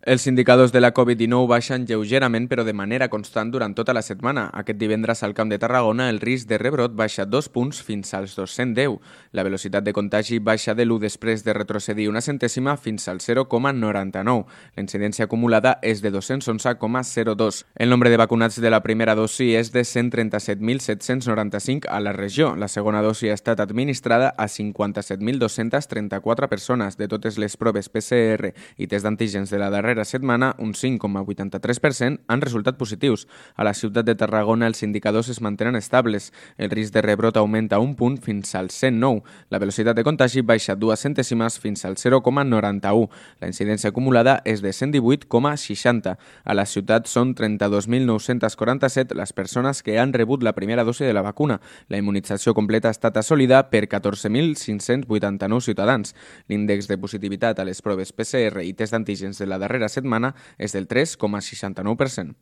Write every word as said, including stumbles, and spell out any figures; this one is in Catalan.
Els indicadors de la covid dinou baixen lleugerament però de manera constant durant tota la setmana. Aquest divendres al Camp de Tarragona el risc de rebrot baixa dos punts fins als dos-cents deu. La velocitat de contagi baixa de l'u després de retrocedir una centèsima fins al zero coma noranta-nou. La incidència acumulada és de dos-cents onze coma zero dos. El nombre de vacunats de la primera dosi és de cent trenta-set mil set-cents noranta-cinc a la regió. La segona dosi ha estat administrada a cinquanta-set mil dos-cents trenta-quatre persones. De totes les proves P C R i test d'antígens de la darrera darrera setmana, un cinc coma vuitanta-tres per cent han resultat positius. A la ciutat de Tarragona els indicadors es mantenen estables. El risc de rebrot augmenta un punt fins al cent nou. La velocitat de contagi baixa dues centèsimes fins al zero coma noranta-u. La incidència acumulada és de cent divuit coma seixanta. A la ciutat són trenta-dos mil nou-cents quaranta-set les persones que han rebut la primera dosi de la vacuna. La immunització completa ha estat assolida per catorze mil cinc-cents vuitanta-nou ciutadans. L'índex de positivitat a les proves P C R i test d'antígens de la darrera setmana és del tres coma seixanta-nou per cent.